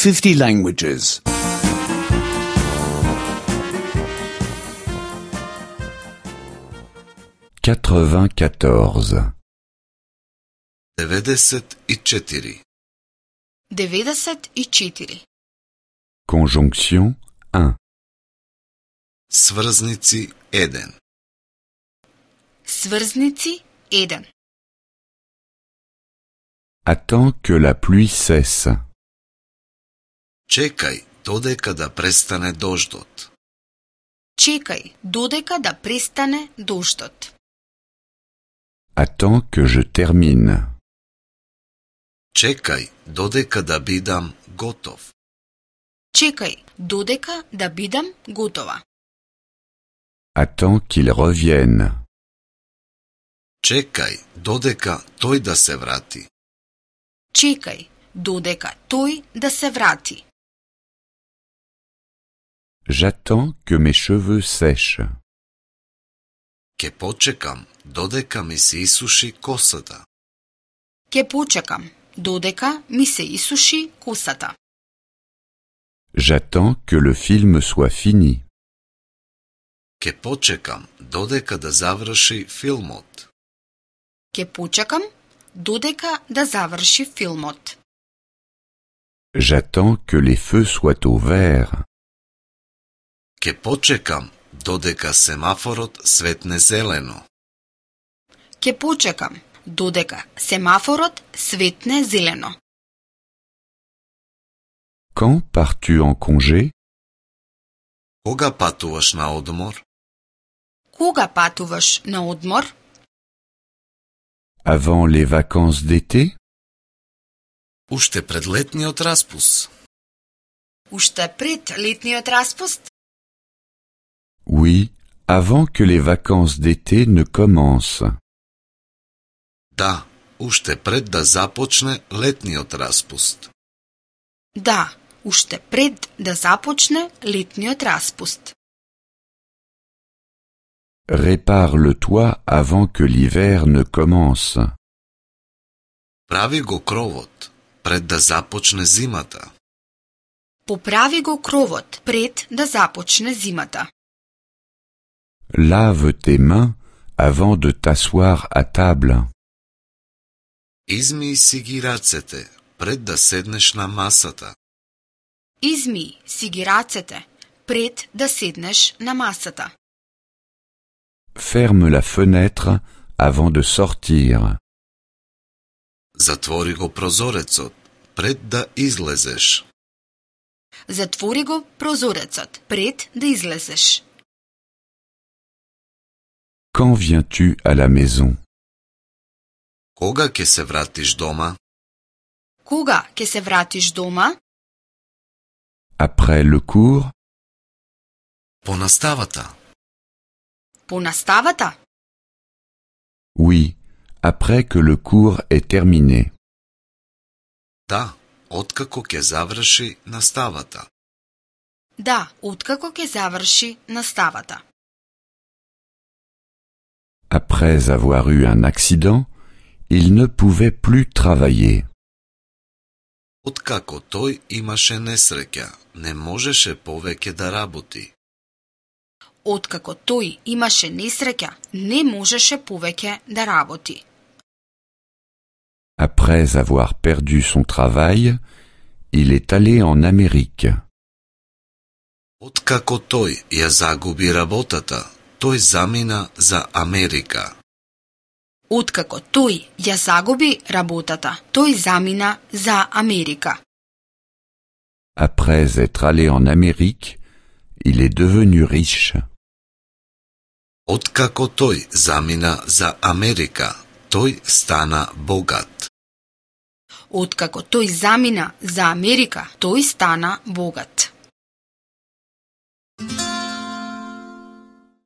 50 languages. 94. 94. 94. Conjonction 1. Сврзници 1. Сврзници 1. Attends que la pluie cesse. Чекај додека да престане дождот. Чекај додека да престане дождот. Attends que je termine. Чекај додека да бидам готов. Чекај додека да бидам готова. Attends qu'il revienne. Чекај додека тој да се врати. Чекај додека тој да се врати. J'attends que mes cheveux sèchent. Ке почекам додека ми се исуши косата. Ке почекам додека ми се исуши косата. J'attends que le film soit fini. Ке почекам додека да заврши филмот. Ке почекам додека да заврши филмот. J'attends que les feux soient au vert. Ке почекам додека семафорот светне зелено. Ке почекам додека семафорот светне зелено. Quand pars-tu en congé? Кога патуваш на одмор? Кога патуваш на одмор? Avant les vacances d'été? Уште пред летниот распуст. Уште пред летниот распуст? Oui, avant que les vacances d'été ne commencent. Да, уште пред да започне летниот распуст. Да, уште пред да започне летниот распуст. Répare le toit avant que l'hiver ne commence. Прави го кровот пред да започне зимата. Поправи го кровот пред да започне зимата. Lave tes mains avant de t'asseoir à table. Измий си ги рацете пред да седнеш на масата. Измий си ги рацете пред да седнеш на масата. Ferme la fenêtre avant de sortir. Затвори го прозорецот пред да излезеш. Затвори го прозорецот пред да излезеш. Quand viens-tu à la maison? Кога ќе се вратиш дома? Кога ќе се вратиш дома? Après le cours? По наставата. По наставата? Oui, après que le cours est terminé. Да, откако ќе заврши наставата. Да, откако ќе заврши наставата. Après avoir eu un accident, il ne pouvait plus travailler. Откако тој имаше несреќа, не можеше повеќе да работи. Откако тој имаше несреќа, не можеше повеќе да работи. Après avoir perdu son travail, il est allé en Amérique. Откако тој ја загуби работата, тој замина за Америка. Откако тој ја загуби работата, тој замина за Америка. Après être allé en Amérique, il est devenu riche. Откако тој замина за Америка, тој стана богат. Откако тој замина за Америка, тој стана богат.